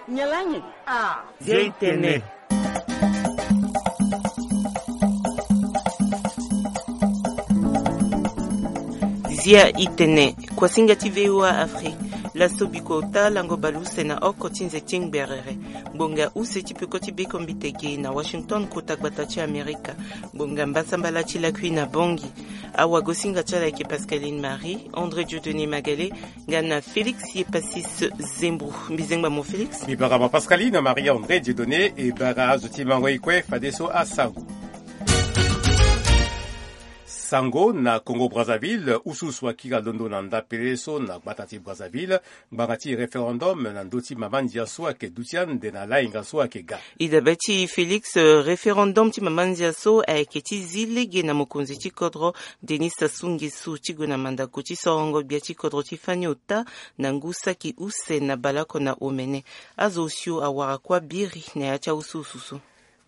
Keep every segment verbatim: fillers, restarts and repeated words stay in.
Nyen lani? Ah. Zia i tene. Zia i tene. Kuasinga ti V O A Afrique. Laso bikota lango baleuse na oko ti nze ti ngberere. Ngbonga use ti peko ti bekombite ge na Washington, kota gbata ti Amerika. Ngbonga mbasambala ti lakui na Bangui. Awagosinga ti ala ayeke Pascaline Marie, André Dieudonné Magalé, nga na Félix Yepasis Zembro. Mbizengba mo Félix. Mbi bara ma Pascaline Marie André Dieudonné, e bara azo ti mango e kue fadeso asango. Sango na Congo Brazzaville, usuusu akiri alondo na ndapele so na gbata ti Brazzaville, ngbanga ti référendum na ndö ti mama ndia so ayeke duti ande na lahinga so ayeke ga. E dabe ti Félix, euh, référendum ti mama ndia so ayeke ti zi lege na mokonzi ti kodro Denis Sassou Nguesso ti gue na mandako ti sorongo gbia ti kodro ti fani ota na ngu saki use na baleoko na omene. Azo osio awara kuâ biri na ya ti ausuusu so.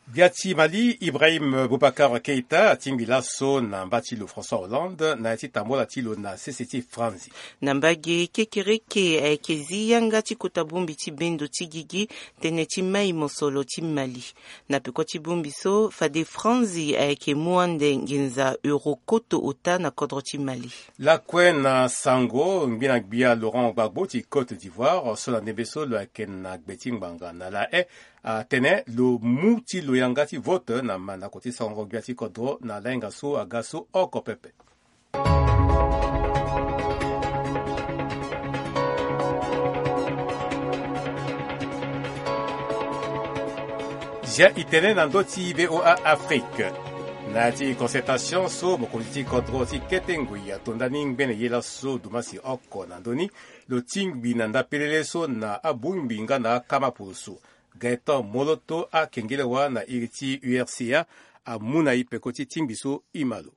Gbia ti Mali, Ibrahim Boubacar Keïta atingbi laso na mba ti lo François Hollande na ya ti tambola ti lo na sese ti Franzi. Na mbage kekereke ayeke zi yanga ti kota bongbi ti bendo ti gigi tënë ti mai mosoro ti Mali. Na peko ti bongbi so, fade Franzi ayeke mu ande nginza euro koto ota na kodro ti Mali. Lakue na sango, ngbi na gbia Laurent Gbagbo ti Côte d'Ivoire so na ndembe so lo yeke na gbe ti ngbanga na La Haye atene lo mu ti lo yanga ti vote na mandako ti sango gbia ti kodro na lahinga so aga so oko pepe. Zia i tene na ndö ti V O A Afrique. Na ya ti concertation so mokonzi ti kodro ti kete ngoi atonda ni ngbene ye laso dumasi oko na ndö ni, lo tingbi na ndapelele so na abongbi nga na akama poroso. Gaëtan Moloto akengelewa na iri ti U R C A amu na e peko ti tingbi so e ma lo.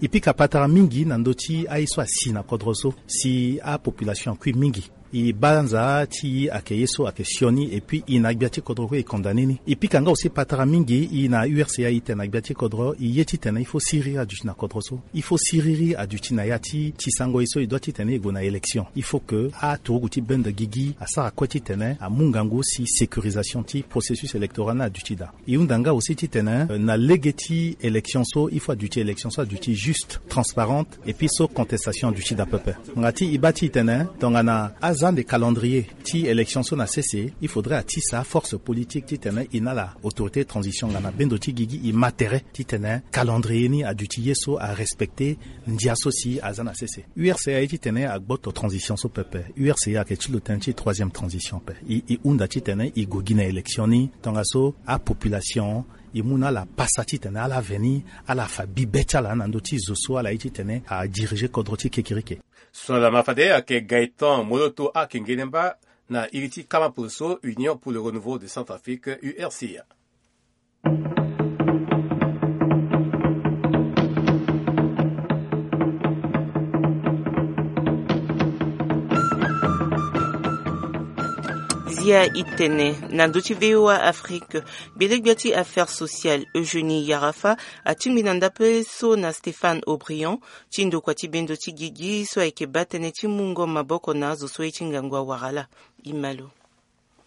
E pika patara mingi na ndö ti aye so asi na kodro so si apopulation akui mingi. E banza ti e ayeke ye so ayeke sioni, et puis e na gbia ti kodro kue e condamné ni. E pika nga aussi patara mingi, e na U R C A e tene na gbia ti kodro, e ye titene il faut siriri aduti na kodro so. Il faut siriri aduti na ya ti, ti sango ye so e doit titene e gue na élection. Il faut que aturugu ti bendo gigi asara kue titene amu ngangu si sécurisation ti processus électoral ni aduti daa. E hunda nga aussi titene, euh, na lege ti élection so, il faut aduti élection so aduti juste, transparente, et puis so contestation aduti daa pepe. Nga ti e baa titene tongana azande calendrier ti élection so na sese, il faudrait atisa force politique titene e na ala autorité de transition nga na bendo ti gigi e ma tere titene calendrier ni aduti ye so arespecter ndia so si aza na sese. U R C A aye titene agboto transition so pepe. U R C A ayeke ti lo tënë ti troisième transition ape. E, e hunda titene e gue gi na élection ni tongaso apopulation e mu na ala pasa titene ala veni, ala fa bibe ti ala na ndö ti zo so ala ye titene adirige kodro ti kekereke. So na lama fade ayeke Gaëtan Moloto akengene mba na iri ti kama poroso Union pour le Renouveau de Centrafrique, U R C A. Zia i tene na ndö ti V O A Afrique. Gbele-gbia ti affaires sociales Eugénie Yarafa atingbi na ndapele so na Stéphane Aubryon ti ndokua ti bendo ti gigi so ayeke baa tënë ti mungo maboko na azo so ye ti ngangu awara ala. E ma lo.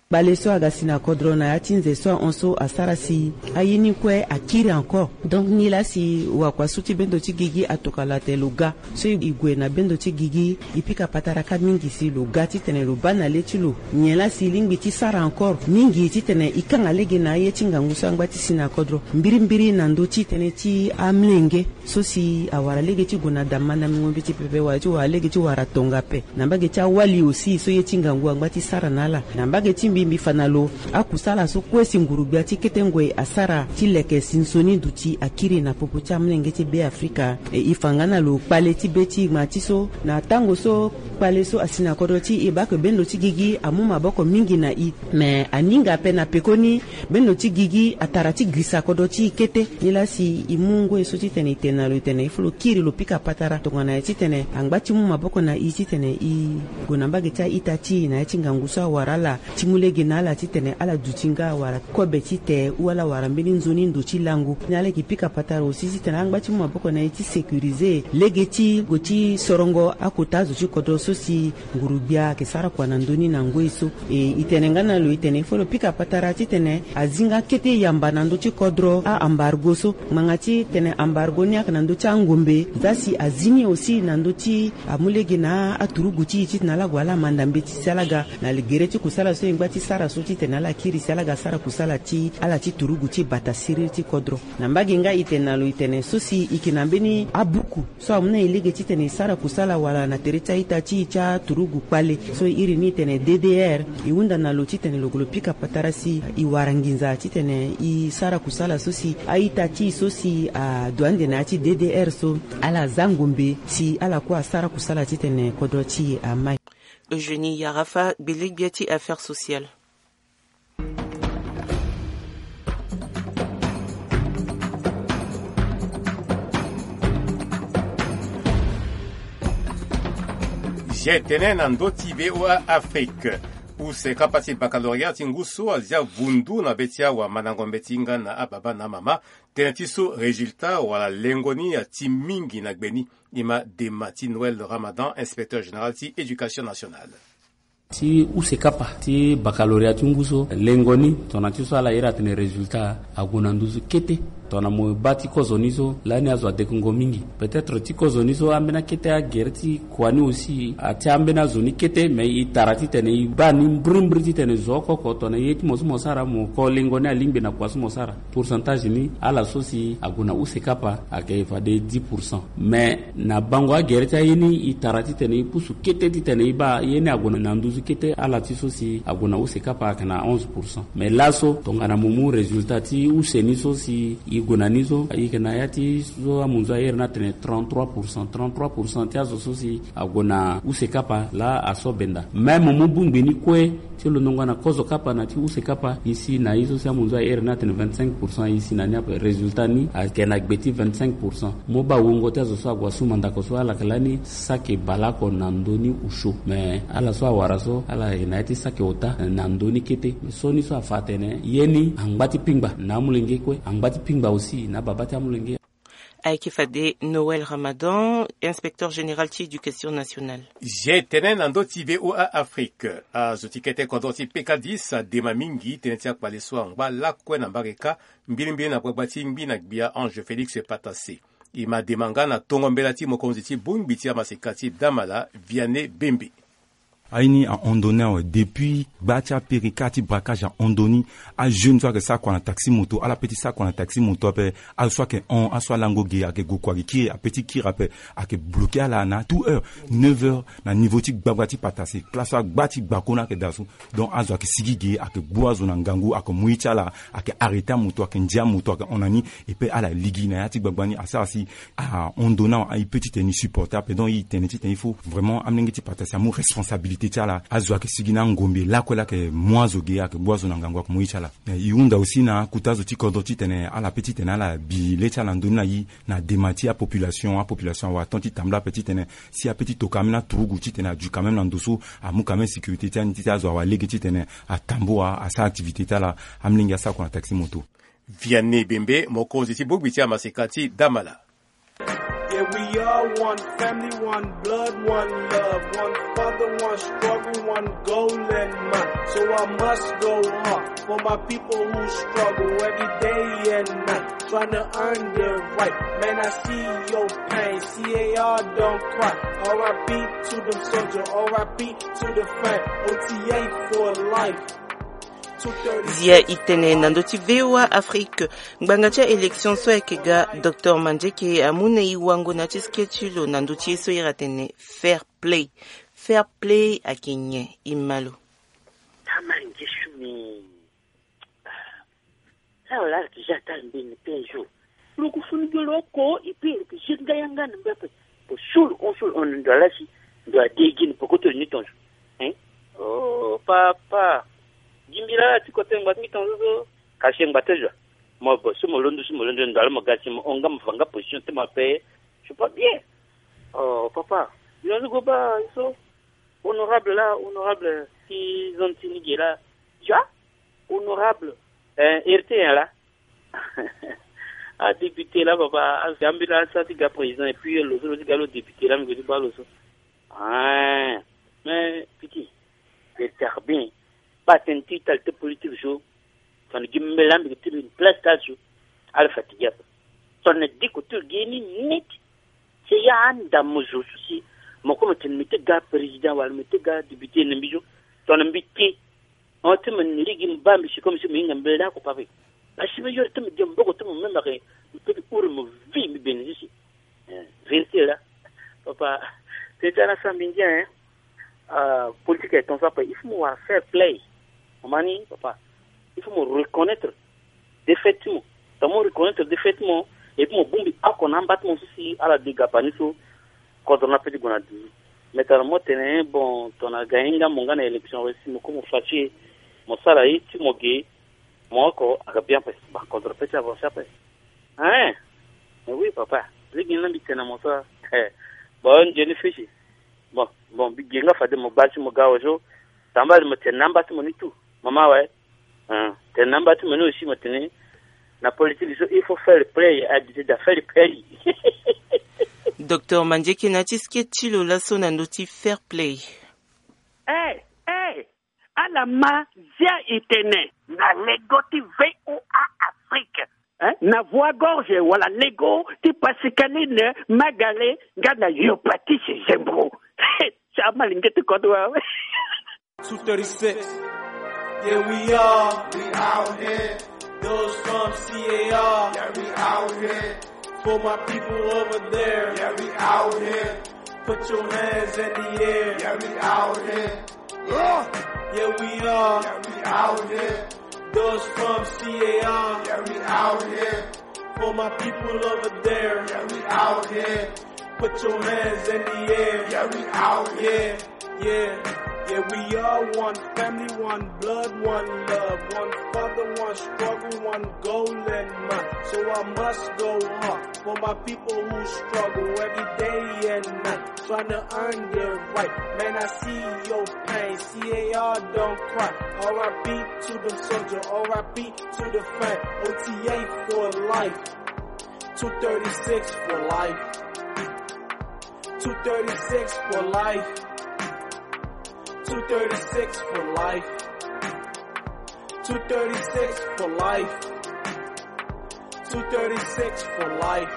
Kpale so aga si na kodro na ya ti nze so ahon so asara si aye ni kue akiri encore. Donc nilaa si wakua so ti bendo ti gigi atokua lo atene lo ga so e gue na bendo ti gigi, e pika patara kâ mingi si lo ga titene lo baa na le ti lo nyen laa si e lingbi ti sara encore mingi titene e kanga lege na aye ti ngangu so angba ti si na kodro mbirimbiri na ndö ti tënë ti amolenge so si awara lege ti gue na da mandango mbeti pepe wala ti wara lege ti wara tongape. Na mbage ti awali aussi so ye ti ngangu angba ti sara na ala. Na mbage ti mbi, mbi fa na lo akusala so kue si nguru-gbia ti kete ngoi asara ti leke sinsoni duti akiri na popo ti amolenge ti Beafrika. E, e fa nga na lo kpale ti be ti e gma ti so na tango so kpale so asi na kodro ti e, e baa ke bendo ti gigi amu maboko mingi na e. Me aninga ape na pekoni bendo ti gigi atara ti girisa kodro ti e kete. Nilaa si e mu ngoi so titene e tene na lo, e tene il faut lo kiri lo pika patara tongana nyen titene angba ti mu maboko na e titene e gue na mbage ti a-ita ti e na ya ti ngangu so awara ala ti mu Lege na ala titene ala duti nga wala kobe ti te ou ala wara mbeni nzoni ndo ti lango. Ni ala yeke pika patara aussi titene angba ti mu maboko na e ti sécuriser lege ti gue ti sorongo akota azo ti kodro so si nguru-gbia ayeke sara kua na ndö ni na ngoi so. E, e tene nga na lo, e tene il faut lo pika patara titene azi nga kete yamba na ndö ti kodro a-embargo so. Ngbanga ti tene embargo ni ayeke na ndö ti angombe, za si azi ni aussi na ndö ti amu lege na aturugu ti e titene ala gue ala manda mbeti si ala ga na gere ti kusala so e ngba ti sara so titene ala kiri si ala ga sara kusala ti ala ti turugu ti bata siriri ti kodro. Na mbage nga e tene na lo, e tene so si e yeke na mbeni abuku so amu na e lege titene e sara kusala wala na tere ti a-ita ti e ti aturugu kpale so e iri ni e tene D D R. E hunda na lo titene lo gue lo pika patara si e wara nginza titene e sara kusala so si a-ita ti e so si adu ande na ya ti D D R so ala za ngombe si ala kue asara kusala titene kodro ti e amai. Eugénie Yarafa, gbele-gbia ti affaires sociales. Zia e tene na ndö ti V O A Afrique. Use kapa ti baccalauréat ti ngu so azia vundu na be ti awamandango mbeti nga na ababa na amama. Tënë ti so résultat wala lengo ni ati mingi na gbe ni. E ma dema ti Noël Ramadan, inspecteur général ti éducation nationale. Ti use kapa ti baccalauréat ti ngu so, lengo ni tongana ti so ala iri atene résultat ague na nduzu kete. Tongana mo baa ti kozo ni so lani azo adekungo mingi. Peut-être ti kozo ni so ambeni akete agere ti kua ni aussi atia ambeni azo ni kete, mais e tara titene e baa ni mbirimbiri titene zo oko oko tongana ye ti mo so mo sara mo ko lengo ni alingbi na kua so mo sara. Pourcentage ni ala so si ague na use kapa ayeke fade dix pour cent. Mais na bango agere ti aye ni e tara titene e pusu kete titene e baa ye ni ague na nduzu kete ala ti so si ague na use kapa ayeke na onze pour cent. Mais laso tongana mo mu résultat ti use ni so si e gue na ni so, e yeke na ya ti so amunzu airi ni atene trente-trois pour cent. Trente-trois pour cent ti azo so si ague na use kapa laa aso benda. Même mo mu bongbi ni kue ti lo ndongo na kozo kapa na ti use kapa, e si na ye so si amunzu airi ni atene vingt-cinq pour cent, e si na ni ape. Résultat ni ayeke na gbe ti vingt-cinq pour cent. Mo baa wungo ti azo so ague asu mandako so ala yeke lani saki baleoko na ndö ni osio. Mais ala so awara so ala yeke na ya ti saki ota na ndö ni kete. Mais so ni so afa atene ye ni angba ti pingba na amolenge kue, angba ti pingba aussi na ababa ti amolenge. Ayeke fade Noël Ramadan, inspecteur général ti éducation nationale. Zia e tene na ndö ti V O A Afrique. Azo ti kete kodro ti P K dix adema mingi tënë ti akpale so angba lakue na mbage kâ, mbilimbili na gbagba ti ngbi na gbia Ange Félix Patassé. E ma dema nga na tongo mbela ti mokonzi ti bongbi ti amaseka ti Damala, Vianney Bembe. Aye ni ahon ndo ni awe depuis gba ti apere kâ ti braquage ahon ndo ni. Ajeune so ayeke sara kua na taxi moto, ala pe ti sara kua na taxi moto ape. Azo so ayeke hon, azo so alango ge ayeke gue kua gi kiri, ape ti kiri ape. Ayeke bloqué ala na tout heure, neuf heures na niveau ti gbagba ti Patassé. Classe so agba ti gbako ni ayeke daa so. Donc azo ayeke sigi ge, ayeke gbu azo na ngangu, ayeke mu ye ti ala, ayeke arrêté amoto, ayeke ndia amoto, ayeke hon na ni. E pe ala ligi na ya ti gbagba ni asara si ahon ndo ni awe, e pe titene e supporté ape. Donc e tene titene il faut vraiment amolenge ti Patassé amu responsabilité ti ala. Azo ayeke sigi na angombe lakue laa ayeke mu azo ge, ayeke gbu azo na ngangu, ayeke mu ye ti ala. Eh, e hunda aussi na akota azo ti kodro titene ala pe titene ala bi le ti ala na ndö ni na e na dema ti apopulation. Apopulation awe aton ti tambula ape titene si ape ti to quand même na turugu titene adu quand même na ndo so, amu quand même sécurité ti ani ti azo awa lege titene atambula asara activité ti ala. Amolenge asara kua na taxi moto. Vianney Bembe, mokonzi ti bongbi ti amaseka ti Damala. Yeah, we are one family, one blood, one love, one father, one struggle, one goal in mind. So I must go hard for my people who struggle every day and night, trying to earn their right. Man, I see your pain. C A R, don't cry. R I P to them soldier, R I P to the fam. O T A for life. Zia e tene na ndö ti V O A Afrique. Ngbanga ti aélection so ayeke ga, Docteur Mandieke amu na e wango na ya ti sketch ti lo na ndö ti ye so iri atene fair play. Fair play ayeke nyen? E ma lo. Amange su ni. Ala ala ti ja ta mbeni pe zo. Lo ku funi gbe lo oko, e pe lo ke je nga yanga na mbe ape. Pe so lo hon so lo hon na ndo ala si ndo ade gi ni poko to ni tonzo. Hein? Oh papa. Gi mbi laa ti kote ngba ti mbi tonzo so. Kasi ngba ti zo. Mo bo so mo londo so mo londo ndo ala mo ga si mo hon nga mo fa nga position ti mo ape. C'est pas bien. Oh papa. Yo zo go baa so. Honorable laa, honorable ti zone ti ni ge laa. Ja, honorable, eh, héritier nyen laa? Adéputé laa, papa, asi ambeni laa, asi ti ga président, et puis lo so lo ti ga lo député laa, mi gue ti baa lo so. Ah, mais pikin, c'est bien. Baa tënë ti tali ti politique so, tongana gi mbela mbi gue ti une place ti azo, ala fatigué ape. Tongana diko ti lo gi ye ni net, si ya anda mo zo so si mo kue mo tene mbi ti ga président wala mbi ti ga député na mbi so, tongana mbi te, on ti mo ni rigi mo baa mbi si comme si mo hinga mbela ni oko pape. Parce que mo yori ti mo dia mboko ti mo même ake mo peut ti huri mo vie mbi bene so si. Eh, vérité laa. Papa, tënë ti ala sara mbi ngia, hein. Ah, politique est comme ça, papa. Il faut mo wara fair play. Mo ma ni, papa, il faut mo reconnaître défaite ti mo. Tongana mo reconnaître défaite ti mo, et puis mo bongbi oko na amba ti mo so si ala de gapa ni so, kodro ni apeut ti gue na duzu. Mais tongana mo tene, bon, tongana aga hinga mo nga na élection, awe si mo kue mo fâché, mo sara ye ti mo ge, mo oko aga bien ape, ba kodro peut ti avancer ape. Hein? Mais oui, papa. Lege ni laa mbi tene na mo so, eh, bon, nzoni fâché. Bon, bon, mbi ge nga fade mo baa ti mo ga awe so. Tambala mo tene na amba ti mo ni tout. Mama awe. Hein, tene na amba ti mo ni aussi mo tene, na politique so il faut fair play, adite da fair play. Docteur Mandieke na ti sketch ti lo laso na ndö ti fair play. Eh, eh, ala ma zia e tene na lego ti V O A Afrique, hein? Na Voix Gorge wala lego ti Pascaline Magale nga na Yo Patrice Zembro. Ti amalenge ti kodro awe. Two thirty-six. Yeah, we are. We out here. Those from C A R. Yeah, we out here. For my people over there. Yeah, we out here. Put your hands in the air. Yeah, we out here. Yeah. Yeah, we are. Yeah, we out here. Those from C A R. Yeah, we out here. For my people over there. Yeah, we out here. Put your hands in the air. Yeah, we out here. Yeah, yeah, we are one family, one blood, one love, one father, one struggle, one goal in mind. So I must go hard for my people who struggle every day and night, trying to earn their right. Man, I see your pain. C A R don't cry. R I P to the soldier, R I P to the fam. O T A for life. Two thirty-six for life. Two thirty-six for life. Two thirty-six for life. Two thirty-six for life. Two thirty-six for life.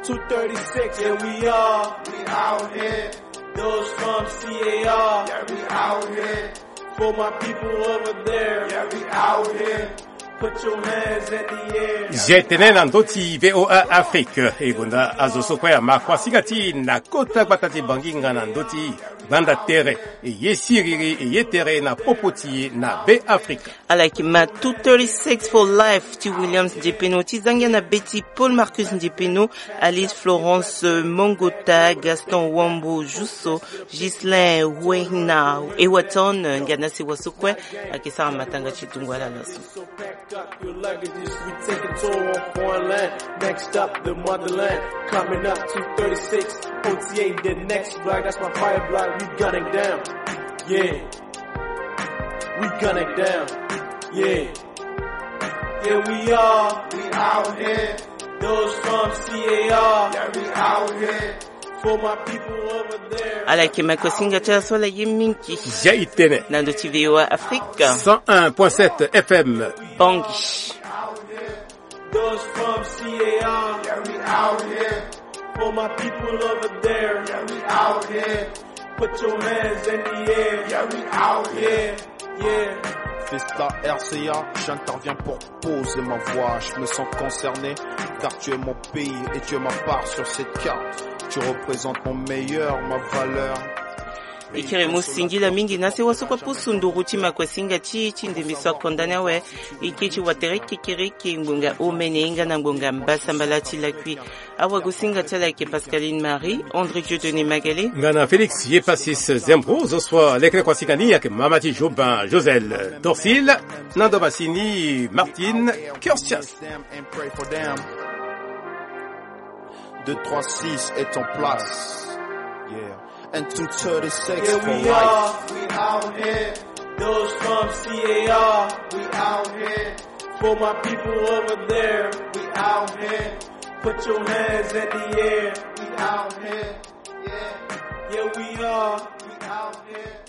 Two thirty-six, yeah, we are. We out here. Those from C A R. Yeah, we out here. For my people over there. Yeah, we out here. Put your hands in the air. Zia e tene na ndö ti V O A Afrique. E gonda azo so kue ama kuasinga ti e na kota gbata ti Bangui nga na ndö ti gbanda tere. E ye siriri, e ye tere na popo ti e na Be Afrika. Ala yeke ma two thirty-six for life ti Williams Ndiepeno, ti zangia na be ti Paul Marcus Ndiepeno, Alice Florence Mongota, Gaston Wambo Jusso, Ghislain Wehna, Ewaton, nga na sewa so kue, ayeke sara matanga ti dungo ala laso. So pack up your luggages, we take a tour on foreign land. Next up, the motherland. Coming up, two thirty-six, O T A, the next block, that's my fire block, we gunning down. Yeah. We gunning down. Yeah. Yeah, we are. We out here. Those from C A R. Yeah, we out here. For my people over there. Ala yeke ma kuasinga ti ala so ala ye mingi. Zia e tene. Na ndö ti V O A Afrique. Cent un point sept F M. Bangui. Those from C A R. Yeah, we out here. For my people over there. Yeah, we out here. Put your hands in the air. Yeah, we out here. Yeah. Festa R C A, j'interviens pour poser ma voix. Je me sens concerné, car tu es mon pays et tu es ma part sur cette carte. Tu représentes mon meilleur, ma valeur. E kiri mo singila mingi na sewa so kue apusu nduru ti ma kuasinga ti e ti ndembe so akonda ni awe. E ke ti watere kekereke ngbonga omene nga na ngbonga mbasambala ti lakui. Awagosinga ti ala ayeke Pascaline Marie, André Dieudonné Magalé. Nga na Félix Yepasis Zembro, zo so alekere kuasinga ni ayeke mama ti Jobin Josel Dorsil, na ndo masini Martine Curtius. Deux trois six est en place. Yeah. And two thirty-six for life. Yeah, we are. We out here. Those C A R, we out here. For my people over there, we out here. Put your hands in the air, we out here. Yeah, yeah, we are, we out here.